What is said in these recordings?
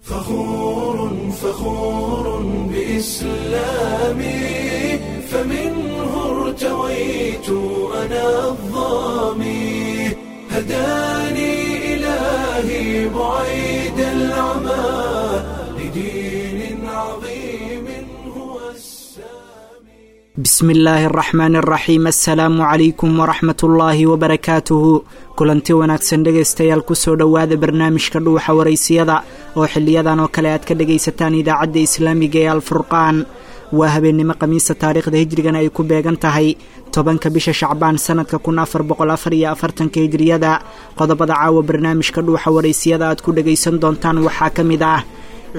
فخور فخور بإسلامي، فمنه ارتويت أنا الظامي، هداني إلهي بعيد العمى لدين عظيم هو السامي. Bismi illaahi araxmaan araxiim, assalaamu calaykum waraxmat ullaahi wabarakaatuhu. Kulanti wanaagsan dhegaystayaal, kusoo dhowaada barnaamijka Dhuuxa Waraysiyada oo xiliyadan oo kale aad ka dhegaysataan idaacadda islaamiga ee Alfurqaan. Waa habeennimo Khamiisa, taariikhda hijrigana ay ku beegan tahay 10-ka bisha Shacbaan sanadka 1444-ka hijriyada. Qodobada caawa barnaamijka Dhuuxa Waraysiyada aad ku dhegaysan doontaan waxaa ka mid ah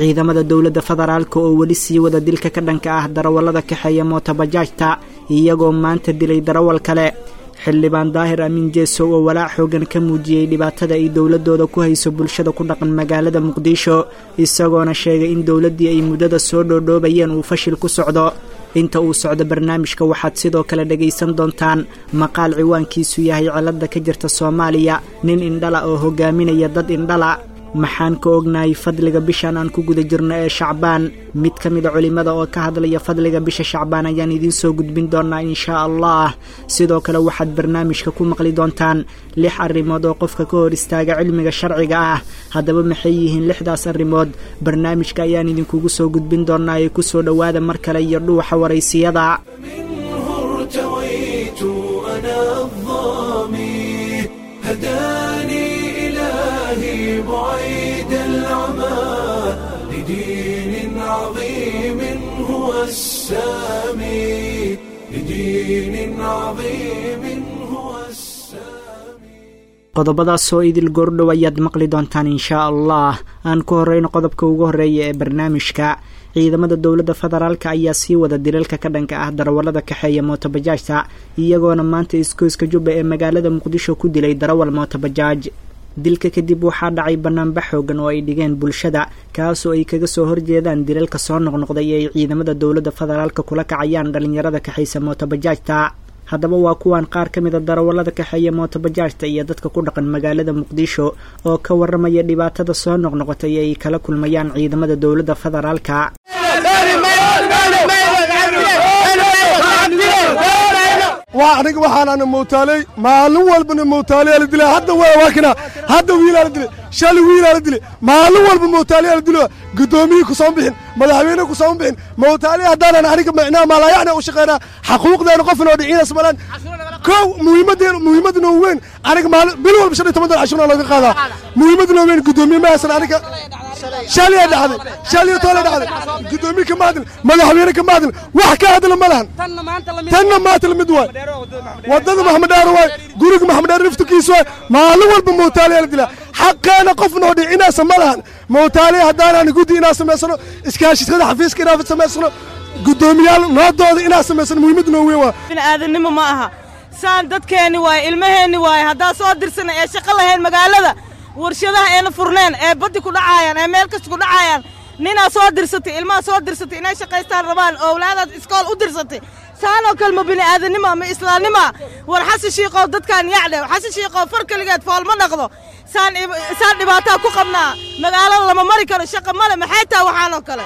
ciidamada dowladda federaalka oo weli sii wada dilka ka dhanka ah darawallada kaxeeya mootobajaajta, iyagoo maanta dilay darawal kale. Xildhibaan Daahir Amiin Jeesow oo walaac xoogan ka muujiyey dhibaatada ay dowladooda ku hayso bulshada ku dhaqan magaalada Muqdisho, isagoona sheegay in dowladdii ay muddada soo dhoodhoobayeen uu fashil ku socdo. Inta uu socdo barnaamijka waxaad sidoo kale dhegaysan doontaan maqaal ciwaankiisu yahay cilada ka jirta Soomaaliya, nin indhala oo hogaaminaya dad indhala. Maxaan ka ognahay fadliga bishan aan ku guda jirno ee Shacbaan? Mid ka mida culimmada oo ka hadlaya fadliga bisha Shacbaan ayaan idiin soo gudbin doonaa inshaa Allah. Sidoo kale waxaad barnaamijka ku maqli doontaan 6 arrimood oo qofka ka hor istaaga cilmiga sharciga ah. Haddaba maxay yihiin 6daas arrimood? Barnaamijka ayaan idinkugu soo gudbin doonaa ee kusoo dhowaada mar kale iyo Dhuuxa Waraysiyada. منه ارتويت أنا الظامي، هداني إلهي بعيد العمى لدين عظيم هو السامي، لدين عظيم هو السامي. Qodobadaas oo idil goordhow ayaad maqli doontaan inshaa Allah. Aan ku horeyno qodobka ugu horreeya ee barnaamijka. Ciidamada dowladda federaalka ayaa sii wada dilalka ka dhanka ah darawallada kaxeeya mootobajaajta, iyagoona maanta iskooyska Jubba ee magaalada Muqdisho ku dilay darawal mootobajaaj. Dilka kadib waxaa dhacay banaanbax xoogan oo ay dhigeen bulshada, kaasoo ay kaga soo horjeedaan dilalka soo noqnoqday ee ay ciidamada dowladda federaalka kula kacayaan dhalinyarada kaxaysa mootobajaajta. Haddaba waa kuwan qaar ka mida darawallada kaxeeya mootobajaajta iyo dadka ku dhaqan magaalada Muqdisho oo ka warramaya dhibaatada soo noqnoqotay ee ay kala kulmayaan ciidamada dowladda federaalka. Waa aniga waxaanana mootaaley, maalin walbana mootaaleyaa la dilaa. Hadda waa kana, hadda wiilaa la dilay, shalay wiilaa la dilay, maalin walba mootaaleyaa la dilo. Guddoomiyii ku soo bixin, madaxweyne ku soo bixin. Mootaaley haddaanan aniga micnaha maalayacna u shaqeynaa, xaquuqdeena qofna oo dhiciinas malaan. Kow muhiimadeen, muhiimadna weyn aniga maalin bil walba 15 dolar cashuurna looga qaadaa. Muhiimadna weyn guddoomiye ma haysan aniga. Shalay dhacday, shalay toole dhacday, guddoomiye kama hadlin, madaxweyne kama hadlin, wax ka hadla ma lahan. Tanna maanta lamid waay, wadada Maxamed Dheer waay, guriga Maxamed Dheer naftikiisa waay. Maalin walba mootaaliyaa la dilaa, xaqeena qofna oo dhicinaasa ma lahan. Mootaaliya haddaanaan guddi inaan samaysano, iskaashitada xafiiska inaan samaysano, guddoomiyaal noodooda inaan samaysano, muhiimadda noo weyn waa bini'aadanimo ma aha. Saan dadkeenni waaye, ilmaheenni waaye. Haddaa soo dirsana ee shaqo lahayn, magaalada warshadaha eena furneen, ee baddi ku dhacaayaan, ee meel kasta ku dhacaayaan, ninaa soo dirsatay, ilmaha soo dirsatay inay shaqaystaan rabaan, owlaadaad iskool u dirsatay, saanoo kale ma bini'aadanimo ma islaamnimoa? War Xasan Shiiqow, dadkaan yacdhe. Xasan Shiiqow, far keligeed foolma dhaqdo. Saan saan dhibaataa ku qabnaa, magaalada lama mari karo, shaqa male. Maxay tahay waxaanoo kale?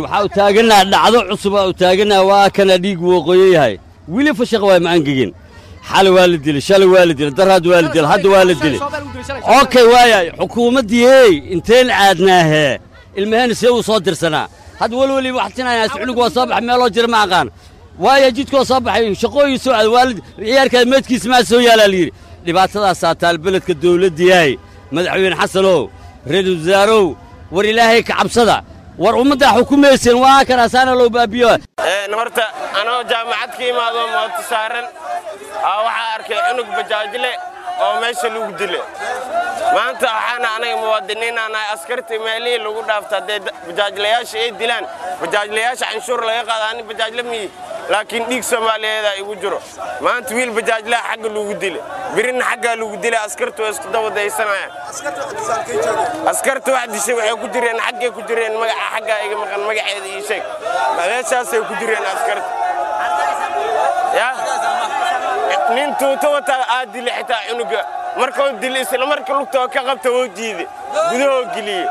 Waxaa u taagannaha dhacdo cusub aa u taagannaha. Waa kana dhiig wooqooyo yahay, weli fashaq waay, ma angegin. Xali waa la dilay, shalay waa la dilay, daraad waa la dilay, hadda waa la dilay. Okay, waayay xukuumaddii ey inteen caadnaahee ilmaheenna see uu soo dirsanaa? Hadda welweli waxtinayaa, cunug waa soo baxay, meeloo jira ma aqaan. Waaya jidkoo soo baxay, shaqooyin soo aad waalid ciyaarkaa meedkiisa maa soo yaalaa la yidhi. Dhibaatadaasaa taal beledka. Dawladdiyahay, madaxweyne Xasanow, ra-iisul wasaarow, war Ilaahay ka cabsada, war ummaddaa xukumayseen waa kanaasaana loo baabiyo. Horta anoo jaamacad ka imaado mooto saaran waxaa arkay cunug bajaajle oo meesha lagu dile maanta. Waxaana anaga muwaadiniinaanahay, askartii meelihii lagu dhaafta haddee bajaajlayaasha ay dilaan, bajaajlayaasha canshuur laga qaada. Ani bajaajle miyi, laakiin dhiig Soomaaliyeedaa igu jiro. Maanta wiil bajaajlaha xagga lagu dile, birina xaggaa lagu dila, askartu waa isku dabadaysanayaan. Askarta wax dishay waxay ku jireen xaggay ku jireen, magaca xaggaa iga maqan, magaceeda ii sheeg, meeshaasay ku jireen askarta. Ya nin tuuto wataa aad dile, xitaa cunuga markuu dile isla marka lugtoo ka qabta woo jiide, gudahoo geliyey.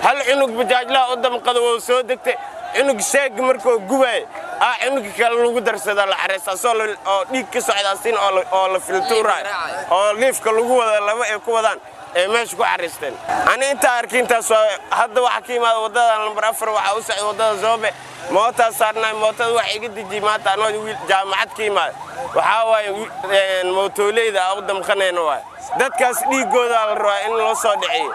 Hal cunug bajaajlaha u damqada wou soo degtay. Cunug sheeg markuu gubaay aa cunuga kale lagu darsada la xareysta, asoo oo dhiig ka socdaasin oo la filtuuraay oo liifka lagu wada laba ay ku wadaan ee meesha ku xariisteen. Ani intaa arki intaas waa. Hadda waxaa ka yimaada waddada lambar 4, waxaa u socda waddada Zoobe, mootaa saarnaay. Mootada waxa iga dejiyey maanta anoo wiil jaamacad ka yimaada waxaa waaye mootoleyda aa u damqanayna waay. Dadkaas dhiiggoodaa la rabaa in loo soo dhiciyo.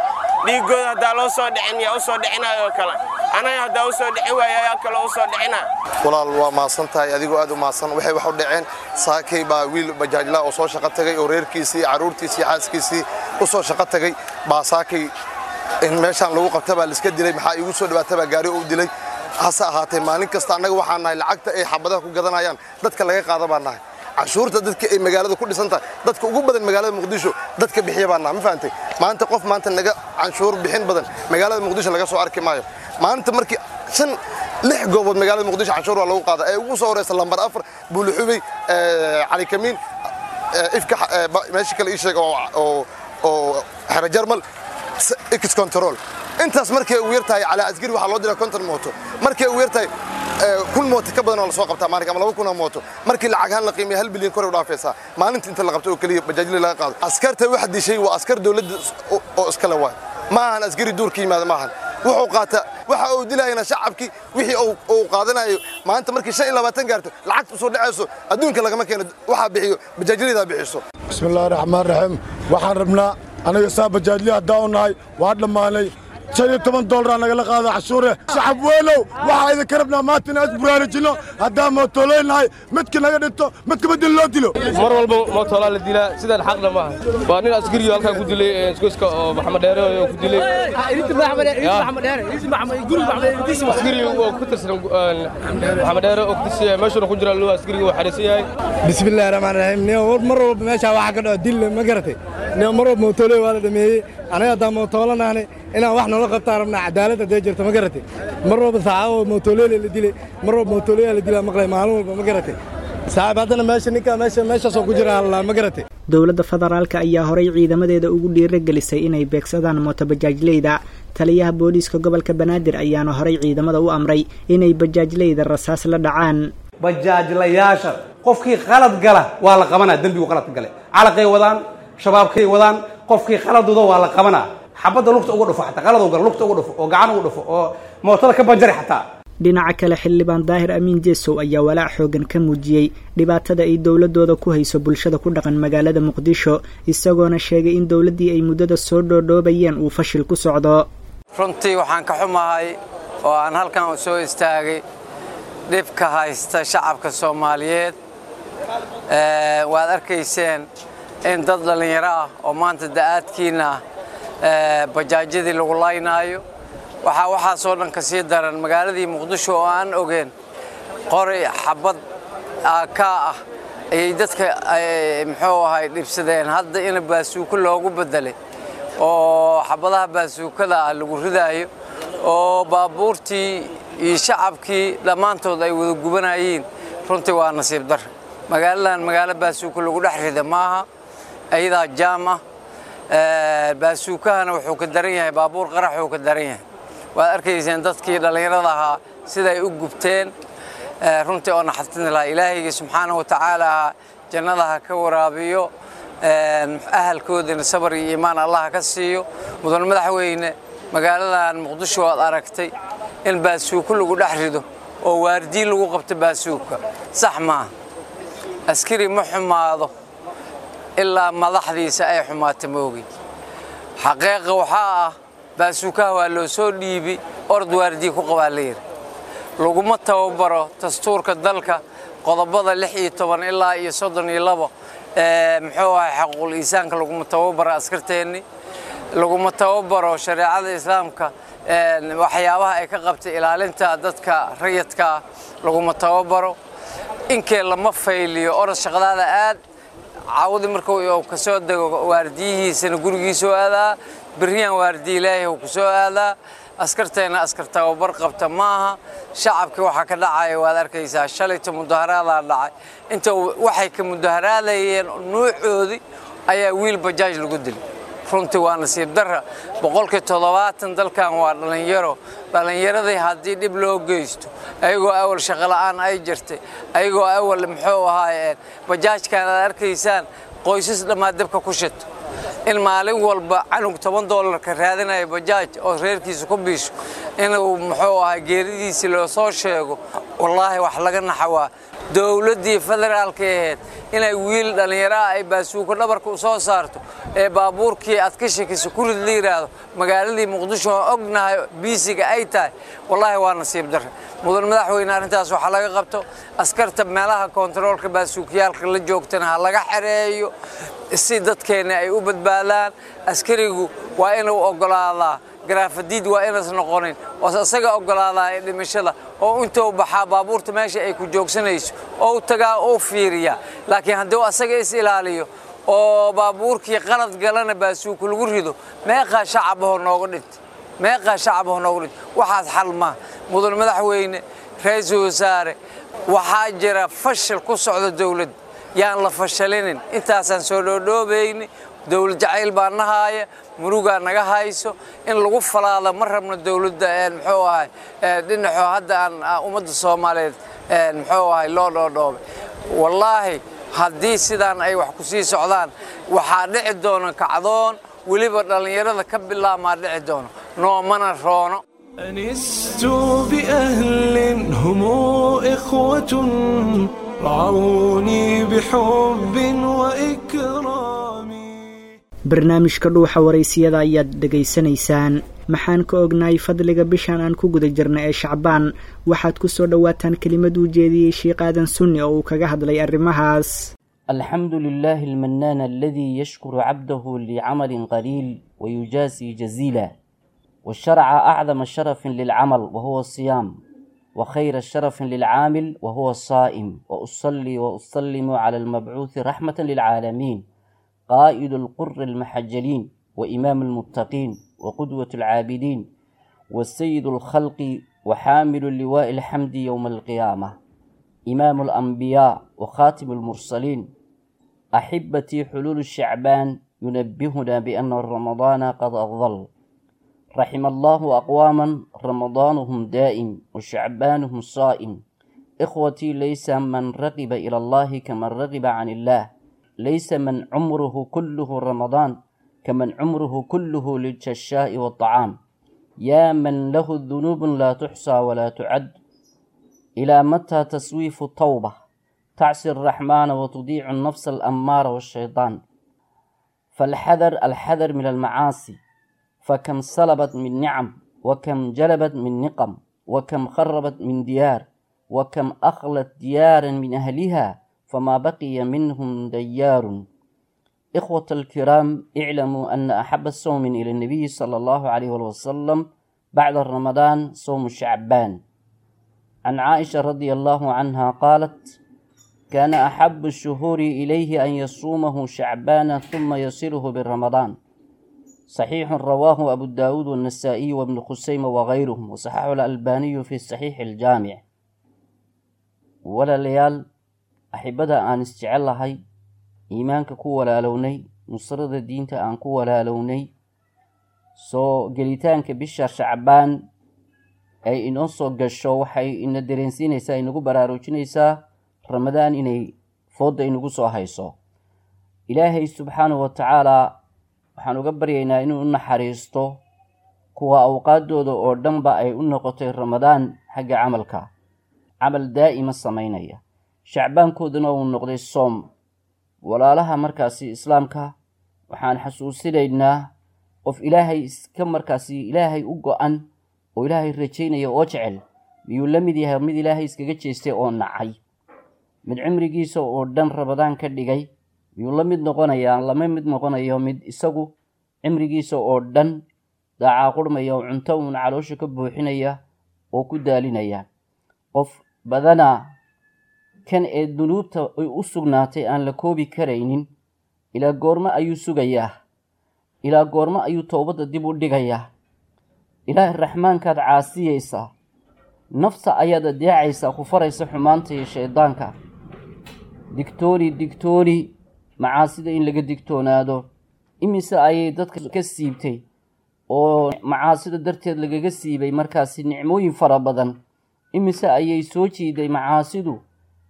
Dhiiggooda haddaa loo soo dhicin, yaa u soo dhicinayo kale? Anaga haddaa u soo dhicin waaya, yaa kale u soo dhicinaya? Walaal, waa mahadsan tahay, adigoo aad u mahadsan. Waxay wax u dhaceen, saakay baa wiil bajaajla oo soo shaqo tagay oo reerkiisii, carruurtiisii, xaaskiisii u soo shaqo tagay baa saakay in meeshaan lagu qabta baa laiska dilay. Maxaa iigu soo dhawaata baa gaari u dilay. Hase ahaatee, maalin kasta annaga waxaan nahay lacagta ay xabadaha ku gadanayaan dadka laga qaada baan nahay. Canshuurta dadka ay magaalada ku dhisan tahay, dadka ugu badan magaalada Muqdisho dadka bixiya baan nahay. Ma fahantay? Maanta qof maanta naga canshuur bixin badan magaalada Muqdisho laga soo arki maayo. Maanta markii shan lix goobood magaalada Muqdisho canshuur waa lagu qaada ee ugu soo horeysa lambar 4, Buulixubey, Cali Kamiin, Ifka, meesha kale ii sheeg oo Xero Jarmal, Ex Control, intaas markay ugu yartahay calaa askari waxaa loo diraa 50 mooto. Markay ugu yartahay 1000 mooto ka badan oo lasoo qabtaa maalinka ama 2000 oo mooto. Markii lacag ahaan la qiimeeyo, 1 bilyan kor u dhaafaysaa maalinta inta la qabto oo keliya bajaajli laga qaado. Askarta wax dishay waa askar dowladda oo iskale waay, ma ahan askari duur ka yimaada, ma ahan. Wuxuu qaata waxa uu dilayana shacabkii wixii uu qaadanayo. Maanta markii 25 gaarto, lacagta usoo dhacayso adduunka lagama keeno, waxaa bixiyo bajaajlaydaa bixiso. Bismillahi raxmaan raxiim. Waxaan rabnaa aniga saa bajaajli haddaan u nahay waa dhammaanay. 15 doolar nagala qaada cashuure. Shacab weynow, waxaa idinka rabnaa maanta inaan isburaarujinno haddaan mootoleynahay. Midka naga dhinto, midka bedel loo dilo. Mar walba mootolaa la dilaa, sidaan xaqna maaha. Waa nin askariyo halkaa ku dilay iskoyska oo Maxamed Dheere oo ku dilay askari oo ku tirsan Maxamed Dheere oo ku tirsan, meeshuna ku jira loo askariga oo xariisan yahay. Bismillahi raxmaan raxiim. Nin mar walba meeshaa waxaa ka dhaco dil, ma garatay? Nin mar walba mootoley waa la dhameeyey. Anaga haddaan mootolanahnay, inaan wax noola qabtaan rabnaa, cadaalad haddee jirto, ma garatay? Mar walba saxaabo mootoley la dilay, mar walba mootoley la dilaa maqlay maalin walba, ma garatay saaxiib? Haddana meesha ninka meesha meeshaasoo ku jira hallaa, ma garatay? Dowladda federaalka ayaa horay ciidamadeeda ugu dhiiragelisay inay beegsadaan mootobajaajleyda. Taliyaha booliiska gobolka Banaadir ayaana horay ciidamada u amray inay bajaajleyda rasaas la dhacaan. Bajaajlayaasha qofkii qalad gala waa la qabanaa. Dembigu qaladka gale, calaqay wadaan, shabaabkay wadaan, qofkii qaladuda waa la qabanaa. Xabadda lugta uga dhufo, xataa qalad gala lugta uga dhufo oo gacan uga dhufo oo mootada ka banjari xataa. Dhinaca kale, xildhibaan Daahir Amiin Jeesow ayaa walaac xoogan ka muujiyey dhibaatada ay dowladooda ku hayso bulshada ku dhaqan magaalada Muqdisho, isagoona sheegay in dowladdii ay muddada soo dhoodhoobayeen uu fashil ku socdo. Runtii waxaan ka xumahay oo aan halkan soo istaagay dhibka haysta shacabka Soomaaliyeed. Waad arkayseen in dad dhallinyaro ah oo maanta da'aadkiinna ah bajaajyadii lagu laynaayo. Waxaa waxaasoo dhan ka sii daran magaaladii Muqdisho oo aan ogeen qori xabad kaa ah ayay dadka muxuu ahay dhibsadeen. Hadda in baasuuko loogu bedelay oo xabadaha baasuukada ah lagu ridaayo oo baabuurtii iyo shacabkii dhammaantood ay wada gubanayeen, runtii waa nasiib dar. Magaaladan magaalo baasuuko lagu dhex rida maaha, ayadaa jaam ah. Baasuukahana wuxuu ka daran yahay baabuur qaraxuu ka daran yahay. Waad arkayseen dadkii dhallinyarada ahaa siday u gubteen, runtii oo naxatin lahaa. Ilaahayga subxaanahu wa tacaala jannada ha ka waraabiyo, ahalkoodina sabar iyo iimaan Allah ka siiyo. Mudan madaxweyne, magaaladan Muqdisho waad aragtay in baasuuko lagu dhex rido oo waardiin lagu qabto baasuuka, sax maaha. Askari ma xumaado ilaa madaxdiisa ay xumaato moogi. Xaqiiqa waxaa ah baasuukaha waa loo soo dhiibi, ord waardiye ku qabaa la yidhi. Laguma tababaro. Dastuurka dalka qodobada 16 ilaa iyo 32 muxuu ahay xaquuqul insaanka laguma tababaro askarteenni, laguma tababaro shareecada islaamka waxyaabaha ay ka qabtay ilaalinta dadka rayidka laguma tababaro. Inkee lama fayliyo, orod shaqadaada aad. Caawdii markuu ka soo dego waardiyihiisana gurigiisuu aadaa, berriyaan waardiye ilaahay uu ku soo aadaa. Askarteenna askar tababar qabta maaha. Shacabkii waxaa ka dhacaya waad arkaysaa. Shalayto mudaharaadaa dhacay, inta waxay ka mudaharaadayeen nuucoodii ayaa wiil bajaaj lagu dilay. Runtii waa nasiib darra. 70% dalkan waa dhallinyaro. Dhallinyaradii haddii dhib loo geysto, ayagoo awal shaqo la'aan ay jirtay, ayagoo awal muxuu ahaay bajaajkan aad arkaysaan qoysas dhammaa dabka ku shito, in maalin walba canug $10 ka raadinaya bajaaj oo reerkiisa ku biisho inuu muxuu ahaa geeridiisii loo soo sheego, wallaahi wax laga naxawaa. Dowladdii federaalka ahayd inay wiil dhallinyaro ah ay baasuuko dhabarka u soo saarto ee baabuurkii aad ka shakisa ku rid la yidhaahdo magaaladii Muqdisho oo ognahay biisiga ay tahay, wallaahi waa nasiib darre. Mudan madaxweyne, arrintaas waxaa laga qabto. Askarta meelaha kontaroolka baasuukiyaalka la joogtana ha laga xereeyo si dadkeenna ay u badbaadaan. Askarigu waa inuu oggolaadaa garaafadiid, waa inaas noqonin oo isaga oggolaadaa ee dhimashada oo intuu baxaa baabuurta meesha ay ku joogsanayso oo tagaa oo fiiriya. Laakiin hadduu asaga is ilaaliyo oo baabuurkii qalad galana baasuuku lagu rido, meeqaa shacabahoo nooga dhintay, meeqaa shacabahoo nooga dhintay? Waxaas xal maaha. Mudan madaxweyne, ra-iisul wasaare, waxaa jira fashil ku socda dowladda, yaan la fashalinin. Intaasaan soo dhoodhoobayni. Dowlad jacayl baa nahaaya, murugaa naga hayso in lagu falaado ma rabno. Dowladda muxuu ahay dhinaxo hadda aan ummadda Soomaaliyeed muxuu ahay loo dhoodhoobay, wallaahi haddii sidaan ay wax ku sii socdaan waxaa dhici doona kacdoon weliba dhallinyarada ka bilaabmaa dhici doono, noomana roono. أنست بأهل هم إخوة رعوني بحب وإكرام. Barnaamijka Dhuuxa Waraysiyada ayaad dhegaysanaysaan. Maxaan ka ognahay fadliga bishan aan ku guda jirna ee Shacbaan? Waxaad ku soo dhowaataan kelimad uu jeediyey Sheikh Aadan Sunni oo uu kaga hadlay arrimahaas. الحمد لله المنان الذي يشكر عبده لعمل قليل ويجازي جزيلا، والشرع أعظم شرف للعمل وهو الصيام، وخير شرف للعامل وهو الصائم. وأصلي وأسلم على المبعوث رحمة للعالمين، قائد القر المحجلين، وإمام المتقين، وقدوة العابدين، والسيد الخلق، وحامل اللواء الحمد يوم القيامة، إمام الأنبياء وخاتم المرسلين. أحبتي، حلول الشعبان ينبهنا بأن رمضان قد أظل. رحم الله أقواما رمضانهم دائم وشعبانهم صائم. إخوتي، ليس من رغب إلى الله كمن رغب عن الله، ليس من عمره كله رمضان كمن عمره كله للششاء والطعام. يا من له الذنوب لا تحصى ولا تعد، إلى متى تسويف التوبة؟ تعصي الرحمن وتضيع النفس الأمارة والشيطان. فالحذر الحذر من المعاصي، فكم سلبت من نعم، وكم جلبت من نقم، وكم خربت من ديار، وكم أخلت ديارا من أهلها فما بقي منهم ديار. إخوة الكرام، اعلموا أن أحب الصوم إلى النبي صلى الله عليه وسلم بعد رمضان صوم شعبان. عن عائشة رضي الله عنها قالت: كان أحب الشهور إليه أن يصومه شعبان ثم يصله بالرمضان. صحيح، رواه أبو داود والنسائي وابن خزيمة وغيرهم، وصححه الألباني في الصحيح الجامع. Walaalayaal, axibada aan isjecel lahay, iimaanka ku walaalownay, nusrada diinta aan ku walaalownay, soo gelitaanka bisha Shacbaan ay inoo soo gasho waxay ina dareensiinaysaa, inagu baraarujinaysaa Ramadaan inay foodda inagu soo hayso. Ilaahay subxaanahu wa tacaalaa waxaan uga baryaynaa inuu u naxariisto kuwa awqaaddooda oo dhanba ay u noqotay Ramadaan xagga camalka, camal daa'ima samaynaya, shacbaankooduna uu noqday soom. Walaalaha markaasi islaamka, waxaan xasuusinaynaa qof Ilaahay iska markaasi Ilaahay u go-an oo Ilaahay rajaynaya oo jecel miyuu la mid yahay mid Ilaahay iskaga jeestay oo nacay? Mid cimrigiisa oo dhan Ramadaan ka dhigay miyuu la mid noqonayaa? Lama mid noqonayo mid isagu cimrigiisa oo dhan daacaa qurmaya oo cunto uun caloosha ka buuxinaya oo ku daalinaya. Qof badanaa kan ee dunuubta ay u sugnaatay aan la koobi karaynin, ilaa goormo ayuu sugayaa? Ilaa goormo ayuu toobadda dib u dhigayaa? Ilaahay raxmaankaad caasiyaysaa, nafta ayaad adeecaysaa ku faraysa xumaanta iyo shaydaanka. Digtooni, digtooni, macaasida in laga digtoonaado. Imise ayay dadka ka siibtay oo macaasida darteed lagaga siibay markaasi nicmooyin fara badan? Imise ayay soo jiiday macaasidu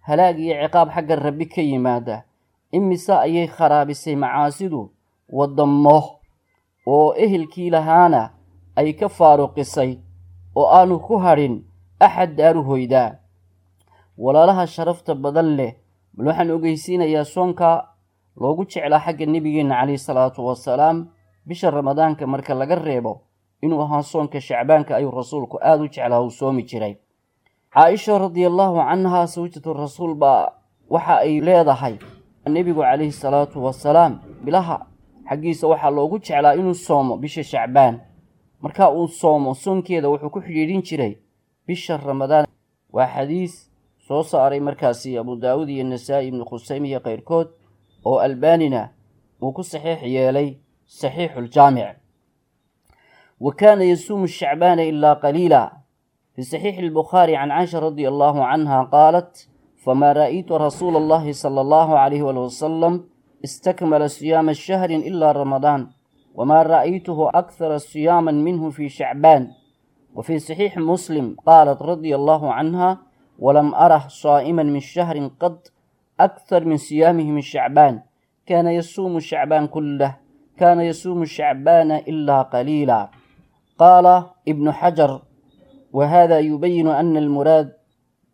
halaag iyo ciqaab xagga Rabbi ka yimaada? Imise ayay kharaabisay macaasidu waddamo oo ehelkii lahaana ay ka faaruqisay oo aanu ku hadhin axad daaru hoydaa? Walaalaha sharafta badan leh, bal waxaan ogeysiinayaa soonka loogu jeclaa xagga Nebigeenna calayhi salaatu wasalaam, bisha Ramadaanka marka laga reebo, inuu ahaa soonka Shacbaanka ayuu Rasuulku aada u jeclaa, uu soomi jiray. Caaisha radiallahu canha, sawjatu Rasuul, baa waxa ay leedahay Nebigu calayhi salaatu wasalaam bilaha xaggiisa waxaa loogu jeclaa inuu soomo bisha Shacbaan. Marka uu soomo soonkeeda wuxuu ku xidhiidhin jiray bisha Ramadaan. Waa xadiis soo saaray markaasi Abu Daawud iyo Nasaa-i, Ibnu Khusayme iyo keyrkood, oo Albanina uu ku saxiix yeelay Saxiixuljaamic. Wa kaana yasuumu shacbaana ilaa qaliila. Fi saxiixi albukhaari can Caisha radia allahu canha qaalat: famaa ra'aytu rasuula allahi sala allahu calayhi wali wasalam istakmala siyaama shahrin ilaa Ramadaan, wamaa ra'aytuhu akhara siyaaman minhu fi Shacbaan. Wa fii saxiixi Muslim qaalat radia allahu canha: walam arah saa'iman min shahrin qad akthar min siyaamihi min Shacbaan, kaana yasuumu Shacbaan kullah, kaana yasuumu Shacbaana ilaa qaliila. Qaala Ibnu Xajar: wahada yubayinu ana almuraad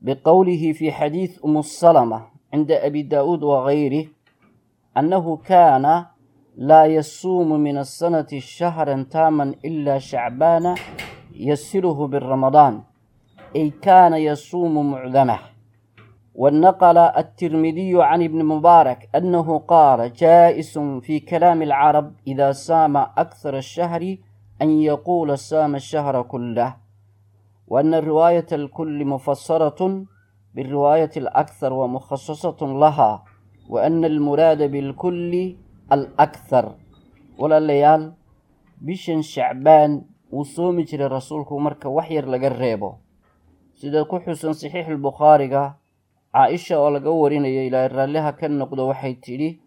biqowlihi fi xadiid Umu Salama cinda Abi Daa'uud wagayrih annahu kaana laa yasuumu min asanati shahran taaman ilaa Shacbaana yasiluhu biramadaan, ay kaana yasuumu mucdamah. Wanaqala altirmidiyu can Ibni Mubaarak annahu qaala: jaa'isun fi kalaami alcarab idaa saama akhara ashahri an yaquula saama ashahra kullah, wa ana riwaayata alkulli mufasaratun biriwaayati alakhar wa mukhasasatun laha, wa ana almuraada bilkulli alakhar. Walaalayaal, bishan Shacbaan wuu soomi jiray Rasuulku marka wax yar laga reebo, sida ku xusan Saxiixulbukhaariga. Caa-isha oo laga warinayo, Ilaahay raalliha ka noqdo, waxay tidhi: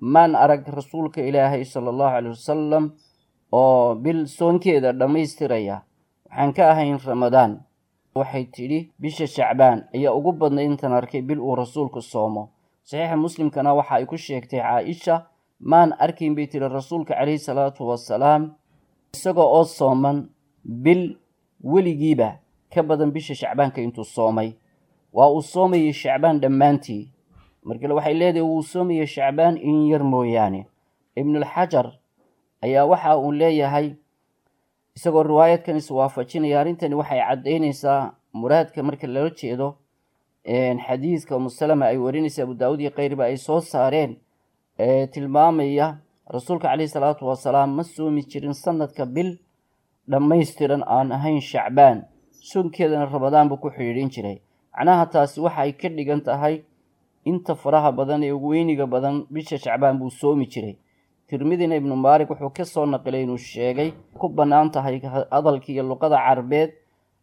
maan arag Rasuulka Ilaahay sala allahu caleyh wasalam oo bil soonkeeda dhammaystiraya waxaan ka ahayn Ramadaan. Waxay tidhi: bisha Shacbaan ayaa ugu badnay intaan arkay bil uu Rasuulku soomo. Saxiixa Muslimkana waxa ay ku sheegtay Caa-isha: maan arkayn, bay tidhi, Rasuulka calayhi salaatu wasalaam isaga oo sooman bil weligiiba ka badan bisha Shacbaanka intuu soomay. Waa uu soomayay Shacbaan dhammaantii. Markale waxay leedahay wuu soomayay Shacbaan in yar mooyaane. Ibnulxajar ayaa waxa uu leeyahay, isagoo riwaayadkan iswaafajinaya: arrintani waxay caddaynaysaa muraadka marka lala jeedo xadiidka Umusalama ay warinaysa, Abu Daawud iyo keyrba ay soo saareen, ee tilmaamaya Rasuulka caleyhi salaatu wasalaam ma soomi jirin sanadka bil dhammaystiran aan ahayn Shacbaan, soonkeedana Ramadaan buu ku xidhiidhin jiray. Macnaha taasi waxa ay ka dhigan tahay inta faraha badan ee ugu weyniga badan bisha Shacbaan buu soomi jiray. Tirmidina Ibnu Mubaarak wuxuu ka soo naqilay inuu sheegay ku bannaan tahay hadalka iyo luqada Carbeed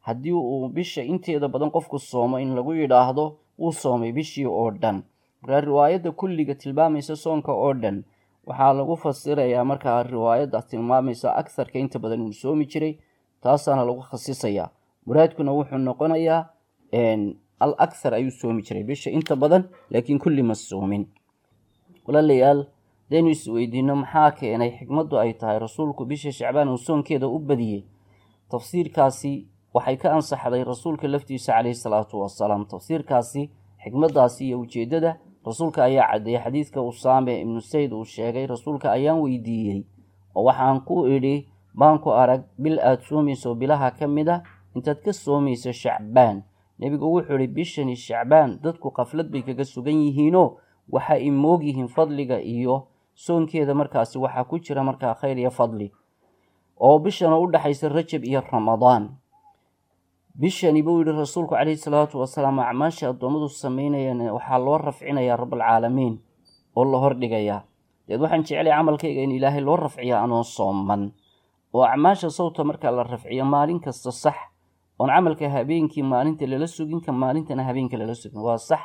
haddii uu bisha inteeda badan qofku soomo in lagu yidhaahdo wuu soomay bishii oo dhan. Markaa riwaayadda kulliga tilmaamaysa soonka oo dhan waxaa lagu fasirayaa markaa riwaayadda tilmaamaysa aktharka, inta badan uu soomi jiray, taasaana lagu khasisayaa. Muraadkuna wuxuu noqonayaa al akhar ayuu soomi jiray bisha inta badan, laakiin kulli ma soomin. Walaalayaal, hadaynu isweydiino maxaa keenay xikmaddu ay tahay Rasuulku bisha Shacbaan uu soonkeeda u badiyey, tafsiirkaasi waxay ka ansaxday Rasuulka laftiisa caleyhi salaatu wasalaam. Tafsiirkaasi, xikmaddaasi iyo ujeeddada Rasuulka ayaa caddeeyey. Xadiidka Usaame Ibnu Sayd uu sheegay: Rasuulka ayaan weydiiyey oo waxaan ku idhi, baan ku arag bil aada soomayso bilaha ka mid a intaad ka soomayso Shacbaan. Nebigu wuxuu idhi: bishani Shacbaan dadku qaflad bay kaga sugan yihiinoo waxa ay moog yihiin fadliga iyo soonkeeda, markaasi waxaa ku jira markaa khayr iyo fadli, oo bishana u dhexaysa Rajab iyo Ramadaan. Bishani, buu yidhi Rasuulku caleyhi salaatu wasalaam, acmaasha addoommadu sameynayaan waxaa loo rafcinayaa Rabbalcaalamiin oo la hordhigayaa. Deed waxaan jeclay camalkayga in Ilaahay loo rafciya anoo sooman, oo acmaasha sawta markaa la rafciyo maalin kasta, sax, oon camalka habeenkii maalinta lala sugin, ka maalintana habeenka lala sugin, waa sax.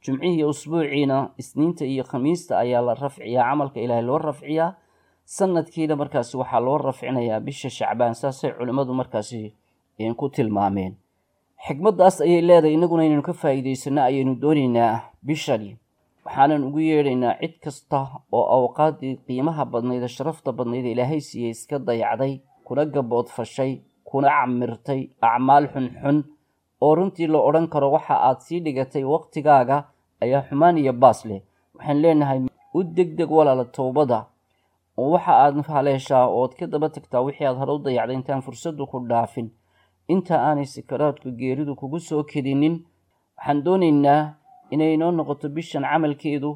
Jumcihii iyo usbuuciina Isniinta iyo Khamiista ayaa la rafciyaa camalka Ilaahay loo rafciyaa. Sanadkiina markaasi waxaa loo rafcinayaa bisha Shacbaan, saasay culimmadu markaasi ku tilmaameen. Xikmaddaas ayay leedahay, innaguna inaynu ka faa'iidaysano ayaynu doonaynaa bishani. Waxaanan ugu yeedhaynaa cid kasta oo awqaaddii qiimaha badnayd ee sharafta badnayd ee Ilaahay siiyey iska dayacday, kuna gaboodfashay, kuna camirtay acmaal xunxun oo runtii la odhan karo waxa aad sii dhigatay waqtigaaga ayaa xumaan iyo baas leh. Waxaan leenahay u degdeg walaala towbada, oo waxa aad haleeshaa ood ka daba tagtaa wixii aad hore u dayacday intaan fursaddu ku dhaafin, inta aanay sakaraadku geeridu kugu soo kedinin. Waxaan doonaynaa inay inoo noqoto bishan camalkeedu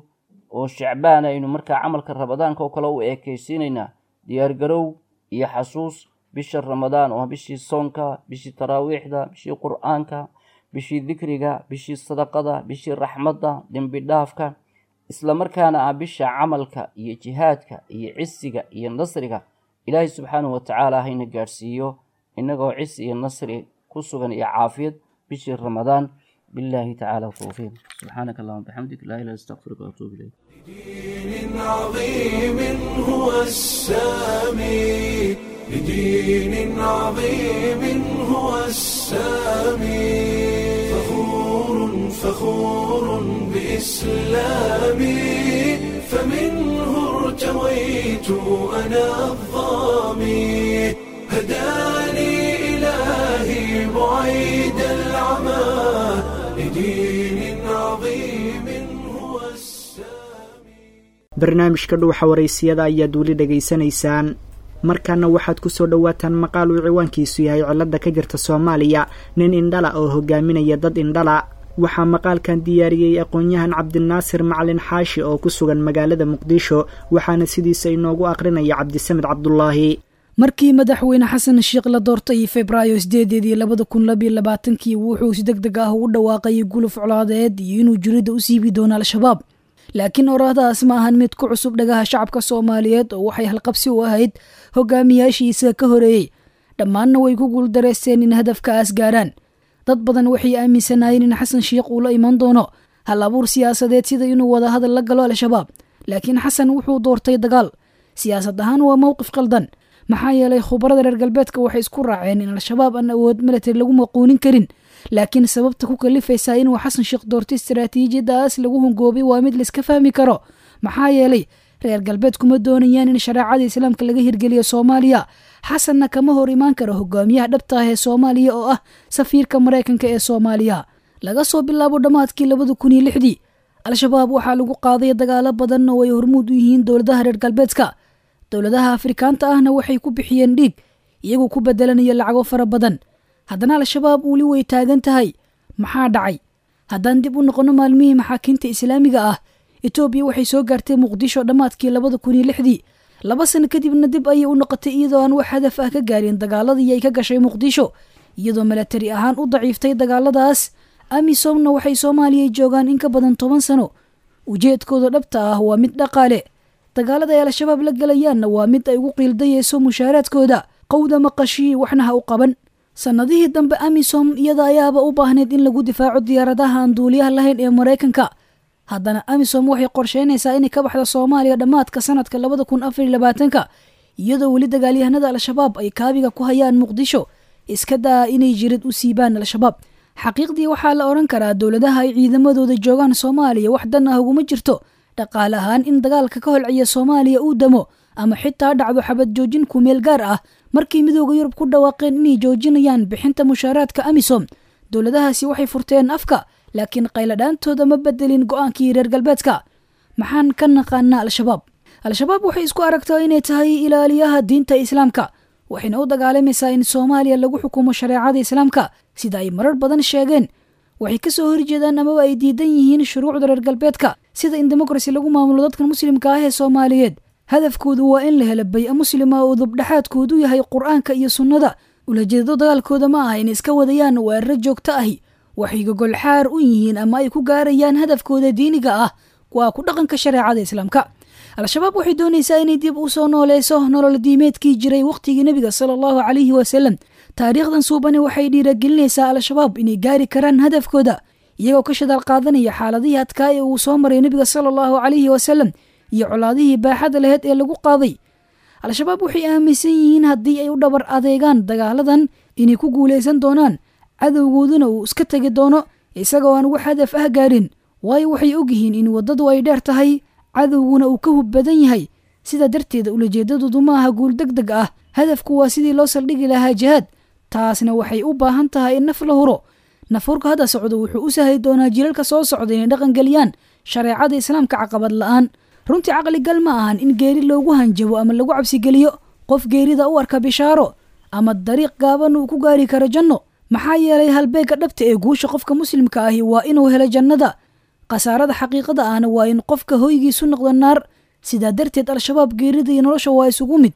oo Shacbaan aynu markaa camalka Ramadaanka oo kale u eekaysiinaynaa, diyaargarow iyo xasuus bisha Ramadaan oo bishii soonka, bishii taraawiixda, bishii Qur-aanka, bishii dikriga, bishii sadaqada, bishii raxmadda, dembi dhaafka, isla markaana ah bisha camalka iyo jihaadka iyo cisiga iyo nasriga. Ilaahay subxaanahu watacaala hayna gaadhsiiyo innagoo cisi iyo nasri ku sugan iyo caafiyad bishii Ramadaan. Billahi tacaala tawfiiq. Subxaanaka allahuma bixamdik, laa ilaha astaqfiruka waatuubu ilayk. دين عظيم هو السامي، لدين عظيم هو السامي، فخور فخور بإسلامي، فمنه ارتويت أنا الظامي، هداني إلهي بعيد العمى، لدين عظيم هو السامي. Barnaamijka Dhuuxa Waraysiyada ayaad weli dhegaysanaysaan. Markaana waxaad ku soo dhowaataan maqaal uu ciwaankiisu yahay cilada ka jirta Soomaaliya, nin indhala oo hogaaminaya dad indhala. Waxaa maqaalkan diyaariyey aqoon-yahan Cabdinaasir Macalin Xaashi oo ku sugan magaalada Muqdisho, waxaana sidiisa inoogu aqrinaya Cabdisamed Cabdulaahi. Markii madaxweyne Xasan Sheekh la doortay Febraayo 8-deedii 2022-kii, wuxuu si deg deg ah ugu dhawaaqay guluf colaadeed iyo inuu jirida u siibi doono Al-Shabaab. Laakiin oraahdaas ma ahan mid ku cusub dhagaha shacabka Soomaaliyeed, oo waxay halqabsi u ahayd hogaamiyaashiisa ka horeeyey. Dhammaanna way ku guuldareysteen in hadafkaas gaaraan. Dad badan waxay aaminsanaayeen in Xasan Sheekh uu la iman doono hal abuur siyaasadeed, sida inuu wadahadal la galo Al-Shabaab. Laakiin Xasan wuxuu doortay dagaal. Siyaasad ahaan waa mowqif qaldan, maxaa yeelay khubarada reer galbeedka waxay isku raaceen in Al-Shabaab aan awood military lagu maquunin karin. Laakiin sababta ku kalifaysaa inuu Xasan Sheekh doortay istaraatiijiyadaas lagu hungoobay waa mid laiska fahmi karo, maxaa yeelay reer galbeedku ma doonayaan in shareecada islaamka laga hirgeliyo Soomaaliya. Xasanna kama hor imaan karo hogaamiyaha dhabta ah ee Soomaaliya, oo ah safiirka Maraykanka ee Soomaaliya. Laga soo bilaabo dhammaadkii 2006-dii, Al-Shabaab waxaa lagu qaaday dagaalo badan oo ay hormuud u yihiin dowladaha reer galbeedka. Dowladaha Afrikaanta ahna waxay ku bixiyeen dhiig, iyagoo ku bedelanaya lacago fara badan. Haddana Al-Shabaab weli way taagan tahay. Maxaa dhacay? Haddaan dib u noqono maalmihii maxaakiimta islaamiga ah, Etoobiya waxay soo gaartay Muqdisho dhammaadkii 2006-dii. 2 sano kadibna dib ayay u noqotay, iyadoo aan wax hadaf ah ka gaarin dagaaladii ay ka gashay Muqdisho, iyadoo milatari ahaan u daciiftay dagaaladaas. Amisomna waxay Soomaaliya joogaan in ka badan 10 sano. Ujeedkooda dhabta ah waa mid dhaqaale. Dagaalada ay Al-Shabaab la galayaanna waa mid ay ugu qiildayeyso mushaaraadkooda. Qowda maqashii, waxna ha u qaban. Sannadihii dambe Amisom iyada ayaaba u baahneyd in lagu difaaco diyaaradaha aan duuliyaha lahayn ee Maraykanka. Haddana Amisom waxay qorsheynaysaa inay ka baxdo Soomaaliya dhammaadka sanadka 2024-ka, iyadoo weli dagaalyahanada Al-Shabaab ay kaabiga ku hayaan Muqdisho. Iska daa inay jirid u siibaan Al-Shabaab. Xaqiiqdii waxaa la odhan karaa dowladaha ay ciidamadooda joogaan Soomaaliya wax dan ah uguma jirto dhaqaale ahaan in dagaalka ka holciya Soomaaliya uu damo ama xitaa dhacdo xabad joojin ku meel gaar ah. Markii Midooda Yurub ku dhawaaqeen inay joojinayaan bixinta mushaaraadka Amisom, dowladahaasi waxay furteen afka, laakiin qayladhaantooda ma bedelin go'aankii reer galbeedka. Maxaan ka naqaanaa Al-Shabaab? Al-Shabaab waxay isku aragtaa inay tahay ilaaliyaha diinta islaamka, waxayna u dagaalamaysaa in Soomaaliya lagu xukumo shareecada islaamka, sida ay marar badan sheegeen. Waxay ka soo horjeedaan amaba ay diidan yihiin shuruucda reer galbeedka, sida in demokrasi lagu maamulo dadkan muslimka ah ee Soomaaliyeed. Hadafkoodu waa in la helo bay-a muslima oo dubdhexaadkoodu yahay Qur-aanka iyo sunnada. Ulajeedado dagaalkooda ma aha in iska wadayaan weeraro joogto ahi. Waxay gogolxaar u yihiin ama ay ku gaarayaan hadafkooda diiniga ah waa ku dhaqanka shareecada islaamka. Al-Shabaab waxay doonaysaa inay dib u soo nooleyso nolol diimeedkii jiray wakhtigii nebiga sala allahu calayhi wasalam. Taariikhdan suubani waxay dhiiragelinaysaa Al-Shabaab inay gaari karaan hadafkooda, iyagoo ka shadaal qaadanaya xaaladihii adkaa ee uu soo maray nebiga sala allahu calayhi wasalam iyo colaadihii baaxadda laheyd ee lagu qaaday. Al-Shabaab waxay aaminsan yihiin haddii ay u dhabar adeegaan dagaaladan inay ku guulaysan doonaan, cadowgooduna uu iska tegi doono isagoo aan wax hadaf ah gaarin, waayo waxay ogyihiin in waddadu ay dheer tahay, cadowguna uu ka hub badan yahay. Sidaa darteed ulajeedadoodu ma aha guul deg deg ah, hadafku waa sidii loo saldhigi lahaa jihaad, taasna waxay u baahan tahay in naf la huro. Nafhurka hadda socdo wuxuu u sahli doonaa jiilalka soo socda inay dhaqangeliyaan shareecada islaamka caqabad la'aan. Runtii caqligal ma ahan in geeri loogu hanjabo ama lagu cabsigeliyo qof geerida u arka bishaaro ama dariiq gaaban uu ku gaari karo janno, maxaa yeelay halbeegga dhabta ee guusha qofka muslimka ahi waa inuu helo jannada, khasaarada xaqiiqada ahna waa in qofka hoygiisu noqdo naar. Sidaa darteed Al-Shabaab geerida iyo nolosha waa isugu mid,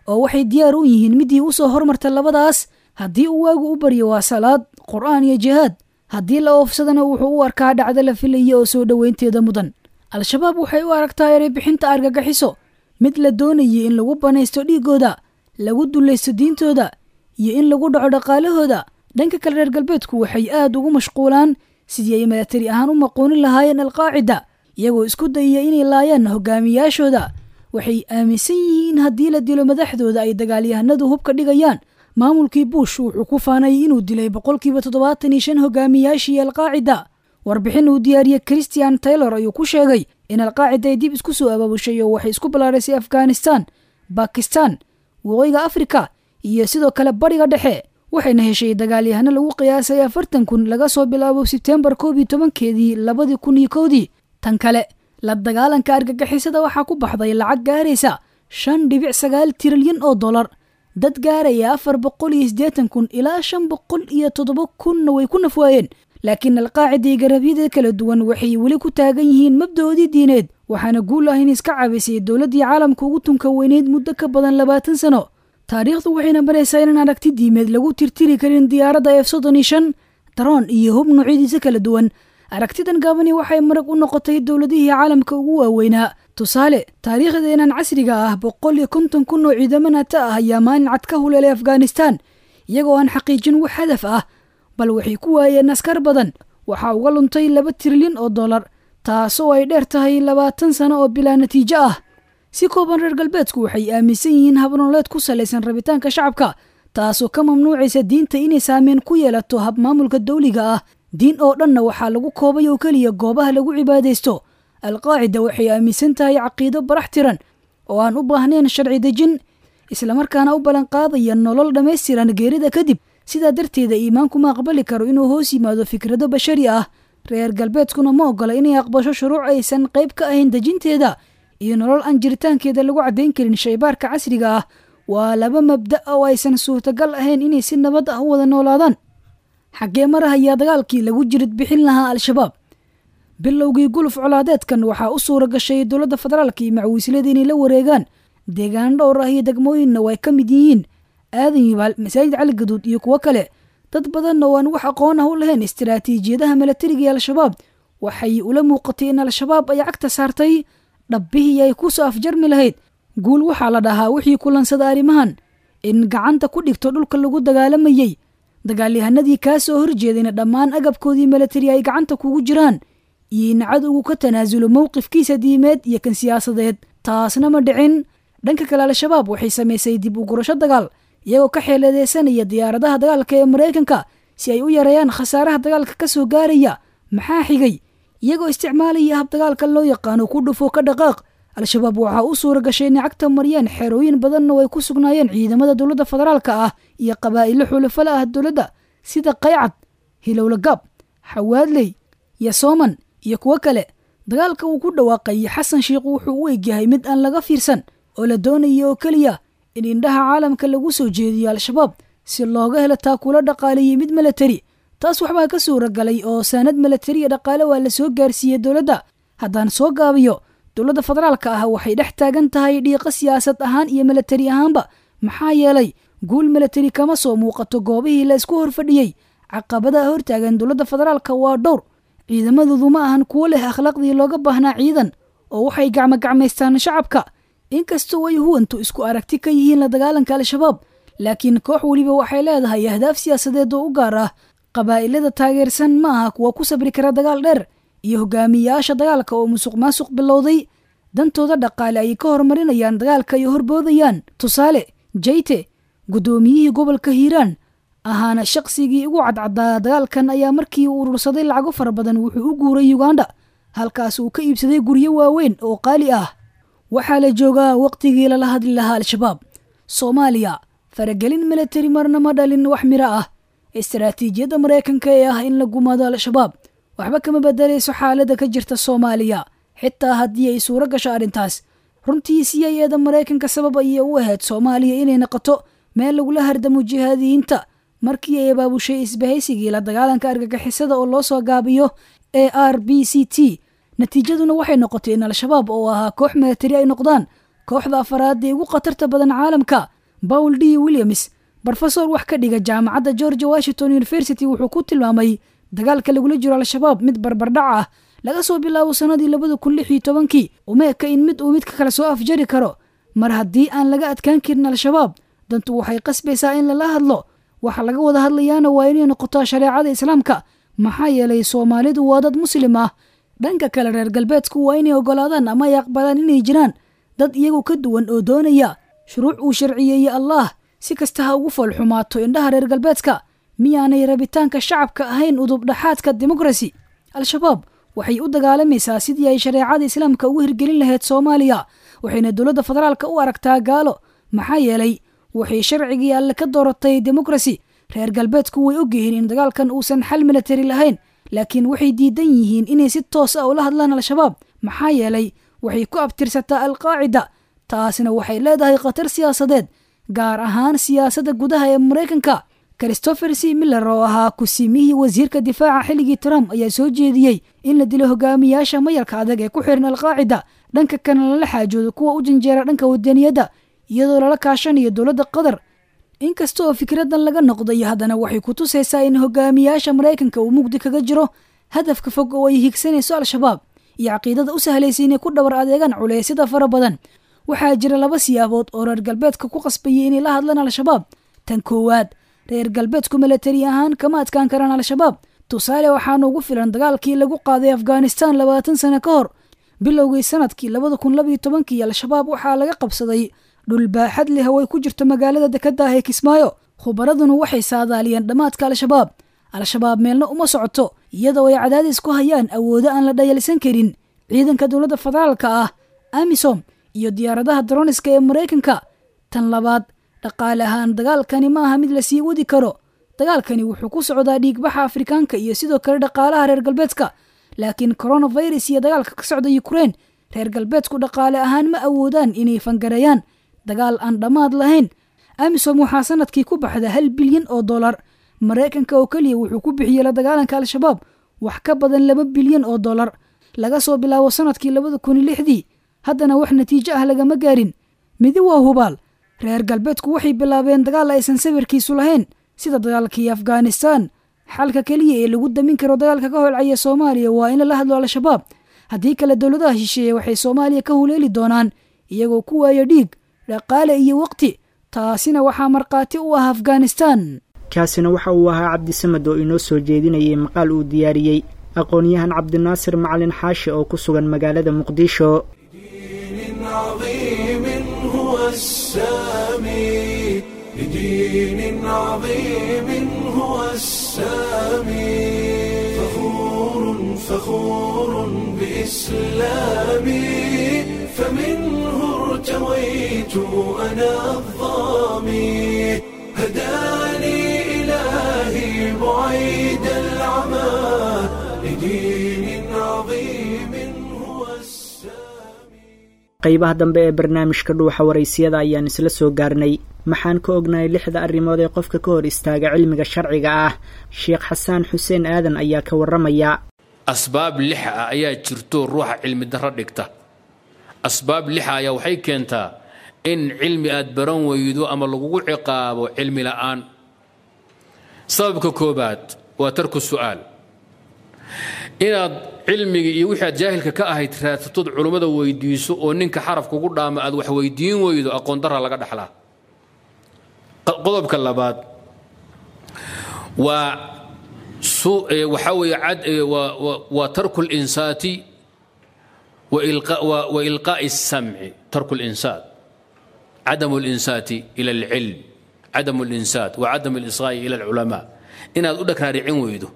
oo waxay diyaar u yihiin midii u soo hormarta labadaas. Haddii uu waagu u baryo waa salaad, qur'aan iyo jihaad, haddii la oofsadana wuxuu u arkaa dhacdo la filaya oo soo dhoweynteeda mudan. Al-Shabaab waxay u aragtaa eray bixinta argagaxiso mid la doonayay in lagu banaysto dhiigooda, lagu dulaysto diintooda iyo in lagu dhaco dhaqaalahooda. Dhanka kale reer galbeedku waxay aad ugu mashquulaan sidii ay milatari ahaan u maqoonin lahaayeen Al-Qaacida, iyagoo isku dayaya inay laayaan hogaamiyaashooda. Waxay aaminsan yihiin haddii la dilo madaxdooda ay dagaalyahanadu hubka dhigayaan. Maamulkii Bush wuxuu ku faanay inuu dilay 75% hogaamiyaashii Al-Qaacida. Warbixin uu diyaariyey Christian Taylor ayuu ku sheegay in Al-Qaacida ay dib isku soo abaabushay oo waxay isku ballaarisay Afghanistan, Bakistan, Waqooyiga Afrika iyo sidoo kale Bariga Dhexe, waxayna heshay dagaalyahano lagu qiyaasay 40,000 laga soo bilaabo Sebtembar 11-keedii 2001. Tan kale, la dagaalanka argagixisada waxaa ku baxday lacag gaaraysa $5.9 trilyan oo dollar. Dad gaaraya 480,000 ilaa 507,000 way ku nafwaayeen. Laakiin Al-Qaacida iyo garabyada kala duwan waxay weli ku taagan yihiin mabda'oodii diineed, waxaana guul ah in iska caabisay dowladdii caalamka ugu tunka weyneyd muddo ka badan 20 sano. Taariikhdu waxayna baraysaa inaan aragti diimeed lagu tirtiri karin diyaaradda F-35, daroon iyo hub noocyadiisa kala duwan. Aragtidan gaabani waxay marag u noqotay dowladihii caalamka ugu waaweynaa. Tusaale, taariikhdeenan casriga ah 150,000 oo ciidamo NATO ah ayaa maalin cad ka huleelay Afghanistan, iyagoo aan xaqiijin wax hadaf ah, bal waxay ku waayeen askar badan. Waxaa uga luntay $2 trilyan oo dollar, taasoo ay dheer tahay 20 sano oo bilaa natiijo ah. Si kooban, reer galbeedku waxay aaminsan yihiin habnoleed ku salaysan rabitaanka shacabka, taasoo ka mamnuucaysa diinta inay saameyn ku yeelato habmaamulka dowliga ah. Diin oo dhanna waxaa lagu koobay oo keliya goobaha lagu cibaadaysto. Al-Qaacida waxay aaminsan tahay caqiido barax tiran oo aan u baahnayn sharci dejin, islamarkaana u ballanqaadaya nolol dhammaystiran geerida kadib. Sidaa darteeda iimaanku ma aqbali karo inuu hoos yimaado fikrado bashari ah. Reer galbeedkuna ma ogola inay aqbasho shuruuc aysan qayb ka ahayn dejinteeda iyo nolol aan jiritaankeeda lagu caddayn karin shaybaarka casriga ah. Waa laba mabda' oo aysan suurtagal ahayn inay si nabad ah u wada noolaadaan. Xaggee marahayaa dagaalkii lagu jirid bixin lahaa Al-Shabaab? Bilowgii guluf colaadeedkan waxaa u suura gashay dowladda federaalka iyo macwiislada inay la wareegaan deegaano dhowr ah iyo degmooyinna way ka mid yihiin Aadan Yibaal, Masaajid Cali Gaduud iyo kuwo kale. Dad badanna oo aan wax aqoon ah u lahayn istiraatiijiyadaha milatariga ee Al-Shabaab waxay ula muuqatay in Al-Shabaab ay cagta saartay dhabbihii ay ku soo afjarmi lahayd. Guul waxaa la dhahaa wixii kulansada arrimahan in gacanta ku dhigto dhulka lagu dagaalamayay, dagaalyahanadii kaa soo horjeedayna dhammaan agabkoodii milatari ay gacanta kugu jiraan, iyo in cadowgu ka tanaasulo mowqifkiisa diimeed iyo kan siyaasadeed. Taasna ma dhicin. Dhanka kale, Al-Shabaab waxay samaysay dib u gurasho dagaal, iyagoo ka xeeladeysanaya diyaaradaha dagaalka ee Maraykanka si ay u yareeyaan khasaaraha dagaalka ka soo gaaraya. Maxaa xigay? Iyagoo isticmaalaya hab dagaalka loo yaqaano ku dhufo ka dhaqaaq, Al-Shabaab waxaa u suura gashay inay cagta mariyeen xerooyin badanna oo ay ku sugnaayeen ciidamada dowladda federaalka ah iyo qabaa'ilo xulafo la ah dowladda sida Qaycad, Hilowla Gaab, Xawaadley, Yasooman iyo kuwo kale. Dagaalka uu ku dhawaaqay Xasan Sheikh wuxuu u egyahay mid aan laga fiirsan oo la doonayo oo keliya in indhaha caalamka lagu soo jeediyo Al-Shabaab si looga helo taakulo dhaqaale iyo mid milatari. Taas waxbaa ka suura galay oo saanad milatari iyo dhaqaale waa la soo gaarsiiyey dowladda. Haddaan soo gaabiyo, dowladda federaalka ah waxay dhex taagan tahay dhiiqo siyaasad ahaan iyo milatari ahaanba, maxaa yeelay guul milatari kama soo muuqato goobihii la isku horfadhiyey. Caqabadaha hortaagan dowladda federaalka waa dhowr. Ciidamadoodu ma ahan kuwo leh akhlaaqdii looga baahnaa ciidan, oo waxay gacmo-gacmaystaan shacabka. Inkastoo ay huwantu isku aragti ka yihiin la dagaalanka Al-Shabaab, laakiin koox weliba waxay leedahay ahdaaf siyaasadeed oo u gaar ah. Qabaa'ilada taageersan ma aha kuwa ku sabri kara dagaal dheer iyo hogaamiyayaasha dagaalka oo musuq maasuq bilowday. Dantooda dhaqaale ayay ka horumarinayaan dagaalka ay horboodayaan. Tusaale, Jayte, guddoomiyihii gobolka Hiiraan ahaana shaqsigii ugu cadcadaa dagaalkan, ayaa markii uu urursaday lacago fara badan wuxuu u guuray Uganda, halkaas uu ka iibsaday guryo waaweyn oo qaali ah. Waxaa la joogaa waqtigii lala hadli lahaa Al-Shabaab. Soomaaliya faragelin milatari marna ma dhalin wax miro ah. Istaraatiijiyadda Maraykanka ee ah in la gumaado Al-Shabaab waxba kama bedelayso xaaladda ka jirta Soomaaliya, xitaa haddii ay suuro gasho arrintaas. Runtii CIA-da Maraykanka sabab ayay u ahayd Soomaaliya inay noqoto meel lagula hardamo jihaadiyiinta markii ay abaabushay isbahaysigii la dagaalanka argagixisada oo loo soo gaabiyo ARBCT. Natiijaduna waxay noqotay in Al-Shabaab oo ahaa koox milatari ay noqdaan kooxda afaraad ee ugu khatarta badan caalamka. Paul D Williams, brofesor wax ka dhiga jaamacadda George Washington University, wuxuu ku tilmaamay dagaalka lagula jiro Al-Shabaab mid barbardhac ah laga soo bilaabo sannadii 2016-kii. Umeeka in mid uu midka kale soo afjari karo. Mar haddii aan laga adkaan karin Al-Shabaab, dantu waxay qasbaysaa in lala hadlo. Waxa laga wada hadlayaana waa inay noqotaa shareecada Islaamka, maxaa yeelay Soomaalidu waa dad Muslim ah. Dhanka kale, reer galbeedku waa inay ogolaadaan ama ay aqbalaan inay jiraan dad iyagu ka duwan oo doonaya shuruuc uu sharciyeeyey Allah, si kasta ha ugu foolxumaato indhaha reer galbeedka. Miyaanay rabitaanka shacabka ahayn udubdhaxaadka demokrasi? Al-Shabaab waxay u dagaalamaysaa sidii ay shareecada Islaamka ugu hirgelin lahayd Soomaaliya, waxayna dowladda federaalka u aragtaa gaalo, maxaa yeelay waxay sharcigii Alle ka dooratay demokrasi. Reer galbeedku way ogyihiin in dagaalkan uusan xal milatari lahayn, laakiin waxay diidan yihiin inay si toos ah ula hadlaan Al-Shabaab, maxaa yeelay waxay ku abtirsataa Alqaacida. Taasina waxay leedahay khatar siyaasadeed, gaar ahaan siyaasadda gudaha ee Maraykanka. Christopher C Miller oo ahaa kusimihii wasiirka difaaca xilligii Trump ayaa soo jeediyey in la dilo hogaamiyaasha mayalka adag ee ku xiran Alqaacida, dhanka kana lala xaajoodo kuwa u janjeera dhanka wadaniyadda, iyadoo lala kaashanayo dowladda Qatar. Inkasta oo fikradan laga noqday, haddana waxay ku tusaysaa in hogaamiyaasha Maraykanka uu mugdi kaga jiro hadafka fog oo ay higsanayso Al-Shabaab iyo caqiidada u sahlaysa inay ku dhabar adeegaan culeysyada fara badan. Waxaa jira laba siyaabood oo reer galbeedka ku qasbayay inay la hadlaan Al-Shabaab. Tan koowaad, reer galbeedku milatari ahaan kama adkaan karaan Al-Shabaab. Tusaale waxaana ugu filan dagaalkii lagu qaaday Afghanistan 20 sano ka hor. Bilowgii sanadkii 2012-kii Al-Shabaab waxaa laga qabsaday dhul baaxad leh oo ay ku jirto magaalada dekadda ah ee Kismaayo. Khubaraduna waxay saadaaliyeen dhammaadka Al-Shabaab. Al-Shabaab meelna uma socoto, iyadoo ay cadaadis ku hayaan awoodo aan la dhayalsan karin: ciidanka dowladda federaalka ah, AMISOM iyo diyaaradaha droniska ee Maraykanka. Tan labaad, dhaqaale ahaan dagaalkani ma aha mid la sii wadi karo. Dagaalkani wuxuu ku socdaa dhiigbaxa Afrikaanka iyo sidoo kale dhaqaalaha reer galbeedka, laakiin coronavirus iyo dagaalka ka socda Ukraine, reer galbeedku dhaqaale ahaan ma awoodaan inay fangareeyaan dagaal aan dhammaad lahayn. AMISOM waxaa sanadkii ku baxda $1 bilyan. Maraykanka oo keliya wuxuu ku bixiyey la dagaalanka Al-Shabaab wax ka badan $2 bilyan laga soo bilaabo sanadkii 2006-dii, haddana wax natiijo ah lagama gaarin. Midi waa hubaal, reer galbeedku waxay bilaabeen dagaal aysan sawirkiisu lahayn, sida dagaalkii Afghanistan. Xalka keliya ee lagu damin karo dagaalka ka holcaya Soomaaliya waa in lala hadlo Al-Shabaab. Haddii kale, dowladaha shisheeye waxay Soomaaliya ka huleeli doonaan iyagoo ku waaya dhiig, dhaqaale iyo waqti. Taasina waxaa markhaati u ah Afghanistan. Kaasina waxa uu ahaa Cabdisamad oo inoo soo jeedinayay maqaal uu diyaariyey aqoon-yahan Cabdinaasir Macalin Xaashi oo ku sugan magaalada Muqdisho. عظيم هو السامي، لدين عظيم هو السامي، فخور فخور بإسلامي، فمنه ارتويت أنا الظامي، هداني إلهي بعيد العمى لدين عظيم هو السامي. Qaybaha dambe ee barnaamijka Dhuuxa Waraysiyada ayaan isla soo gaarnay. Maxaan ka ognahay lixda arrimood ee qofka ka hor istaaga cilmiga sharciga ah? Sheekh Xasaan Xuseen Aadan ayaa ka warramaya. Asbaab lixa ah ayaa jirto ruuxa cilmi darro dhigta. Asbaab lixa ayaa waxay keentaa in cilmi aad baran weydo ama lagugu ciqaabo cilmi la'aan. Sababka koobaad waa tarku su'aal. Inaad cilmigii iyo wixii aad jaahilka ka ahayd raadsatood culummada weydiiso oo ninka xaraf kugu dhaama aad wax weydiin weydo, aqoon darra laga dhaxlaa. Qodobka labaad waa waxaa weeye waa tarku linsaati. Wa ilqaa'i الsamci, tarku اlinsaat, cadamu اlinsaati ila alcilm, cadamu اlinsaat wa cadam اlisqaa'i ila alculamaa, inaad u dhagraaricin weydo.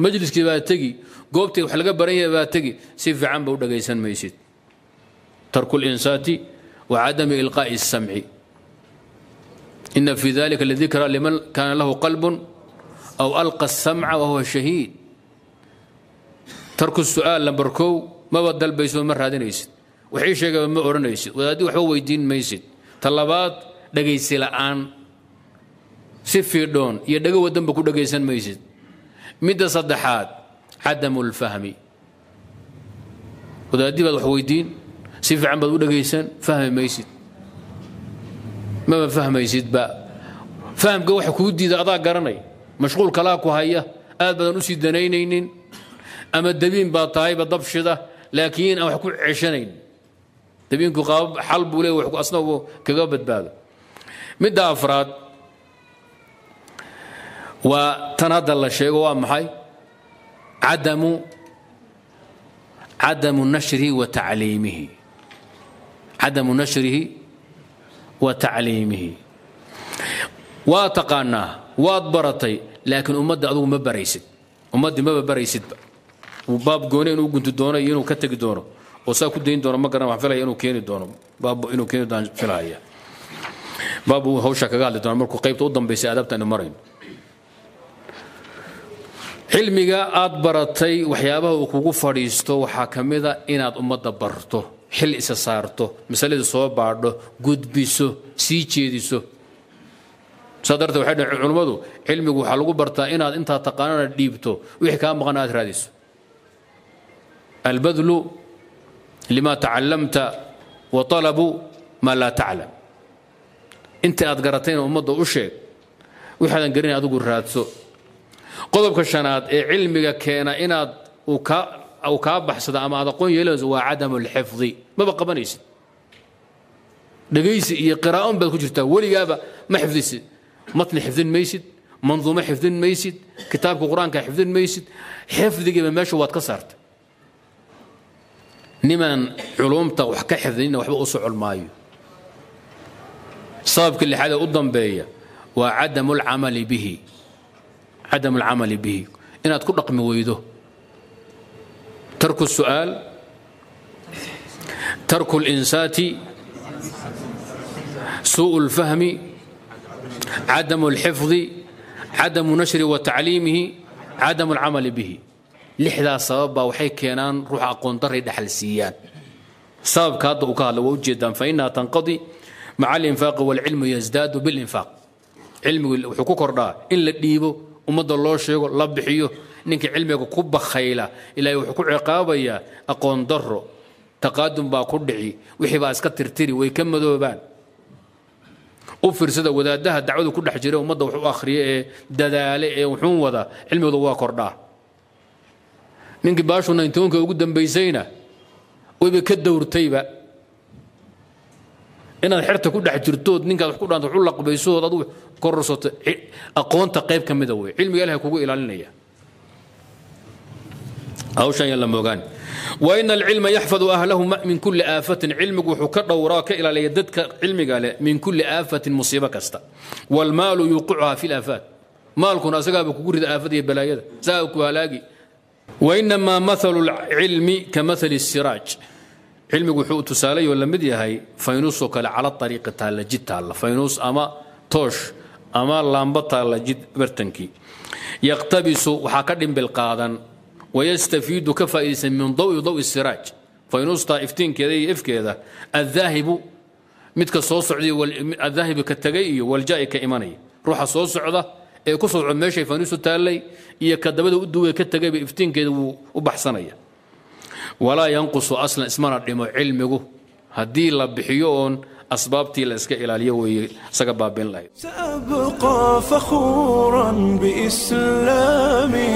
Majliskii baa tegi, goobtii wax laga baran yahay baa tegi, si fiican ba u dhagaysan maysid. Tarku اlinsaati wa cadami ilqaa'i الsamci. Ina fi dalika ladikra liman kaana lahu qalb aw alqa الsamca wahuwa shahiid. Tarku su'aal lambar kow, maba dalbayso, ma raadinaysid, waxii sheegaba ma odhanaysid, wadaaddi waxba weydiin maysid. Ta labaad, dhegaysi la'aan, si fiidhoon iyo dhego wadanba ku dhegaysan maysid. Midda saddexaad, cadamu lfahmi. Wadaaddii baad wax weydiin, si fiican baad u dhegaysan, fahmi maysid, maba fahmaysidba. Fahamka waxa kuu diida adaa garanay, mashquul kalaa ku haya, aad badan usii danaynaynin, ama dabiin baa tahayba dabshida, laakiin aan wax ku ceshanayn. Dabiinku qaabab xal buu leey wax asna uu kaga badbaado. Midda afraad waa tan hadda la sheego. Waa maxay? Cadamu nashrihi wa tacliimihi, cadamu nashrihi wa tacliimihi. Waa taqaanaa, waad baratay, laakiin ummadda adugu ma baraysid, ummaddii maba baraysidba. Baab gooni inuu gunti doono iyo inuu ka tegi doono oo saa ku dayn doono ma garan. Waxaan filaya inuu keeni doono baab, inuu keeni doono filaya baab uu hawsha kaga hadli doono markuu qaybta u dambaysay aadaabta aynu marayno. Cilmiga aad baratay waxyaabaha uu kugu fadhiisto waxaa ka mida inaad ummadda barto, xil isa saarto, masalada soo baadho, gudbiso, sii jeediso. Saa darteed waxay dhaheen culimmadu, cilmigu waxaa lagu bartaa inaad intaa taqaanana dhiibto, wixii kaa maqan aad raadiso. Albadlu lima tacallamta wa talabu maa laa taclam. Inta aad garatayna ummadda u sheeg, waxaadan garanay adigu raadso. Qodobka shanaad ee cilmiga keena inaad uu kaa baxsado ama aad aqoon yeelanayso waa cadamu alxifdi. Maba qabanaysid, dhegaysi iyo qiraa'on baad ku jirtaa, weligaaba ma xifdisid. Matni xifdin maysid, manduumo xifdin maysid, kitaabka qur-aanka xifdin maysid, xifdigiiba meesha waad ka saartay. Nimaan culumta wax ka xifdinina waxba u socon maayo. Sababka lixaad ee u dambeeya waa cadamu alcamali bihi, cadamu alcamali bihi, inaad ku dhaqmi weydo. Tarku su'aal, tarku اlinsaati, suuءu اlfahmi, cadamu اlxifdi, cadamu nashri wa tacliimihi, cadamu alcamali bihi. Lixdaas sabab baa waxay keenaan ruuxa aqoon daray dhaxal siiyaan. Sababka hadda uu ka hadla waa ujeedaan, fa inaha tanqadi maca alinfaaqi waalcilmu yasdaadu bilinfaaq. Cilmigu wuxuu ku kordhaa in la dhiibo, ummadda loo sheego, la bixiyo. Ninka cilmiga ku bakhayla, ilaahay wuxuu ku ciqaabayaa aqoon darro, taqaadum baa ku dhici, wixii baa iska tirtiri, way ka madoobaan. U fiirsada wadaadaha dacwadu ku dhex jira, ummadda wax u akhriya ee dadaale ee wuxuun wada, cilmigooda waa kordhaa. Ninkii baashu 91-ka ugu dambaysayna wayba ka dowrtayba. Inaad xerta ku dhex jirtood ninkaad wax ku dhaanto wax u laqbaysood adigu kororsato aqoonta qayb ka mida wey, cilmiga ilahay kugu ilaalinaya. Hawshan yaan la moogaan. Wa ina alcilma yaxfadu ahlahu min kulli aafatin. Cilmigu wuxuu ka dhowraa, ka ilaaliya dadka cilmiga leh min kulli aafatin, musiibo kasta. Waalmaalu yuuqicuhaa fi laafaat. Maalkuna asagaaba kugu rida aafada iyo balaayada, saa ku halaagi. Wainamaa mathalu lcilmi ka mathali siraaj. Cilmigu wuxuu tusaalayoo la mid yahay faynuusoo kale cala ariiqi taalla, jid taalla, faynuus ama toosh ama laamba taalla jid bartankii. Yaqtabisu, waxaa ka dhimbil qaadan, wayastafiidu, ka faa'iidaysan, min dawi dawi siraaj, faynuustaa iftiinkeeda iyo ifkeeda, addaahibu, midka soo socday, addaahibu, ka tegay, iyo waljaa'i, ka imanaya. Ruuxa soo socda ee ku soo socda meeshay faynuustu taallay iyo ka dabada u duway ka tegayba iftiinkeeda wuu u baxsanaya. Walaa yanqusu aslan, ismana dhimo cilmigu haddii la bixiyo oon asbaabtii la iska ilaaliyo weeye isaga baabin lahayd. سأبقى فخورا بإسلامي.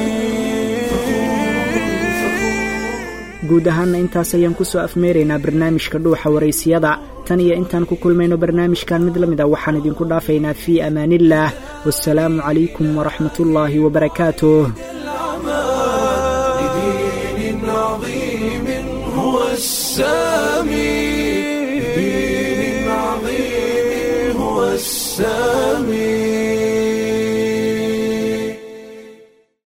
Guud ahaanna intaas ayaan ku soo afmeeraynaa barnaamijka Dhuuxa Waraysiyada. Tan iyo intaan ku kulmayno barnaamijkan mid la mid a, waxaan idinku dhaafaynaa fii amaaniillaah, wasalaamu calaykum waraxmatullaahi wabarakaatuh. لدين عظيم. هو السامي دين عظيم هو السامي.